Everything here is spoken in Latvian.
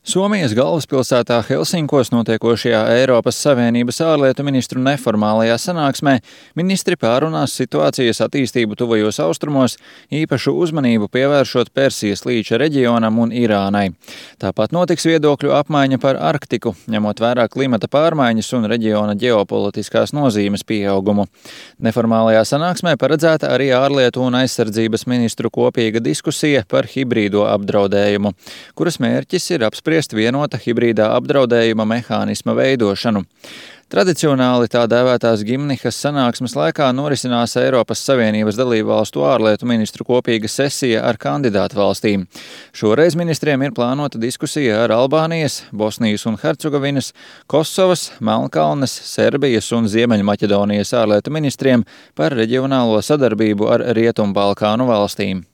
Somijas galvaspilsētā Helsinkos notiekošajā Eiropas Savienības ārlietu ministru neformālajā sanāksmē ministri pārunās situācijas attīstību tuvajos austrumos, īpašu uzmanību pievēršot Persijas līča reģionam un Irānai. Tāpat notiks viedokļu apmaiņa par Arktiku, ņemot vērā klimata pārmaiņas un reģiona ģeopolitiskās nozīmes pieaugumu. Neformālajā sanāksmē paredzēta arī ārlietu un aizsardzības ministru kopīga diskusija par hibrīdo apdraudējumu, kuras mērķis ir apspriest vienota hibrīdā apdraudējuma mehānisma veidošanu. Tradicionāli tā dēvētās Gimnihas sanāksmes laikā norisinās Eiropas Savienības dalībvalstu ārlietu ministru kopīga sesija ar kandidātu valstīm. Šoreiz ministriem ir plānota diskusija ar Albānijas, Bosnijas un Hercegovinas, Kosovas, Melnkalnes, Serbijas un Ziemeļmaķedonijas ārlietu ministriem par reģionālo sadarbību ar Rietumbalkānu valstīm.